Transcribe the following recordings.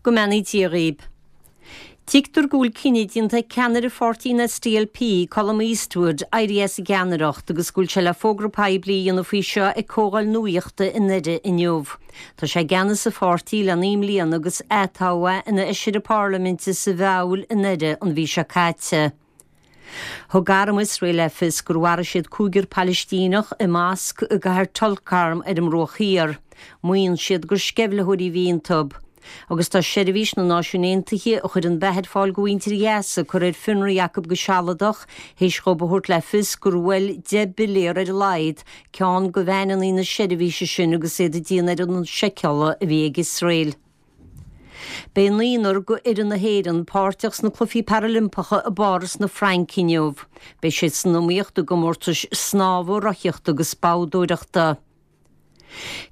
Go mbeannaí Dia dhaoib. Tuigtear go bhfuil cinneadh déanta ag ceannaire pháirtí an SDLP, Colum Eastwood, éirí as an gceannaireacht agus go bhfuil sé le fógra poiblí a dhéanamh faoi seo ag comhdháil nuaíochta i nDoire inniu. Tá sé i gceannas an pháirtí le 9 mbliana agus atoghadh é ina fheisire parlaiminte sa Mheabhail i nDoire an mhí seo caite. Thug arm Iosrael le fios gur mharaigh siad cúigear Palaistíneach i masc i gcathair Tulkarm ar an mBruach Thiar. Maíonn siad gur sceimhlitheoirí a bhí iontu. Agus tá seirbhís na Náisiún Aontaithe a chuireann beatha ar fáil go mhuintir Ghaza curtha ar fionraí acu go sealadach théis dhóibh a thabhairt le fios gur bhuail 10 bpiléar ar a laghad ceann de veaineanna na seirbhíse sin agus iad ag déanamh ar an seiceála a bhí ag Iosrael. Beidh naonúr de fhoireann na hÉireann páirteach sna Cluichí Parailimpeacha i bPáras na Fraince inniu. Beidh siad san iomaíocht i gcomórtais snámha, rothaíochta agus boghdóireachta.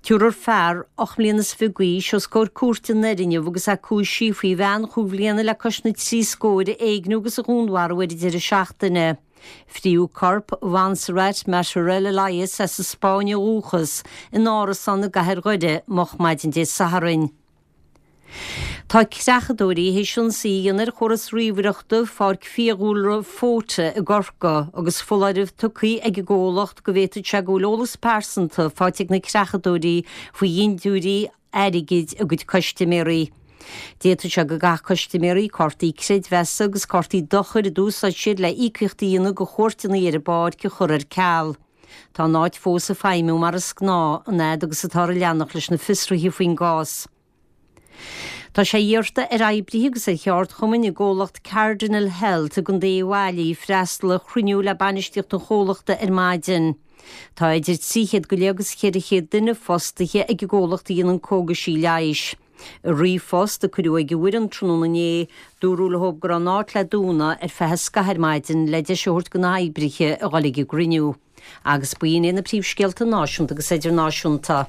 Tabharfar fear 28 mbliana d'aois os comhair cúirte i nDoire inniu agus é cúisithe faoi bhean chúig bhliana le cois na dtrí scóir a éigniú agus a dhúnmharú ar an deireadh seachtaine. Fríodh corp Mhontserrat Matarel Elias as an Spáinn ó dhúchas in árasán i gcathair Dhoire moch maidin Dé Sathairn. Tá creachadóirí théis ionsaí a dhéanamh ar chóras ríomhaireachta Pháirc Fiadhúlra Fota i gCorcaigh agus foláireamh tugtha ag an gcomhlacht go bhféadfadh sé go bhfuil eolas pearsanta faighte ag na creachadóirí faoi dhintiúirí airgid a gcuid custaiméirí. D'fhéadfadh sé go gcaithfeadh custaiméirí cártaí creidmheasa agus cártaí dochair a d'úsáid siad le íocaíocht a dhéanamh do chuairteanna ar an bpáirc a chur ar ceal. Tá an áit fós ag feidhmiú mar is gnáth, an fhad agus atáthar ag leanacht leis na fiosruithe faoin gcás. Tá sé iarrta ar oibrithe agus ar cheardchumainn i gcomhlacht Cardinal Health i gContae Uíbh Fhailí freastal ar chruinniú le bainistíocht an chomhlachta ar maidin. Tá idir 300 go leith agus 400 duine fostaithe ag an gcomhlacht a dhéanann cógaisí leighis. I ríomhphost a cuireadh ag an bhfoireann tráthnóna inné, dúradh leo go raibh an áit le dúnadh ar feadh scaithimh ar maidin le deis a thabhairt do na hoibrithe a dhul ag an gcruinniú. Agus b'in iad na príomhscéalta náisiúnta agus idirnáisiúnta.